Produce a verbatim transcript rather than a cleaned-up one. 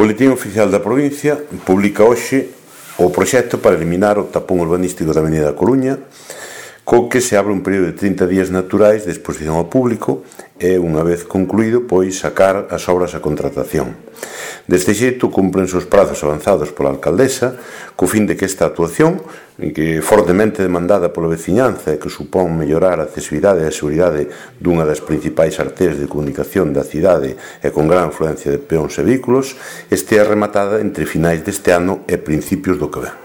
Boletín Oficial da Provincia publica hoxe o proxecto para eliminar o tapón urbanístico da Avenida da Coruña, co que se abre un período de trinta días naturais de exposición ao público e, unha vez concluído, pois sacar as obras a contratación. Deste xeito, cumprense os prazos avanzados pola alcaldesa, co fin de que esta actuación, que é fortemente demandada pola veciñanza e que supón mellorar a accesibilidade e a seguridade dunha das principais arterias de comunicación da cidade e con gran afluencia de peóns e vehículos, estea rematada entre finais deste ano e principios do que ven.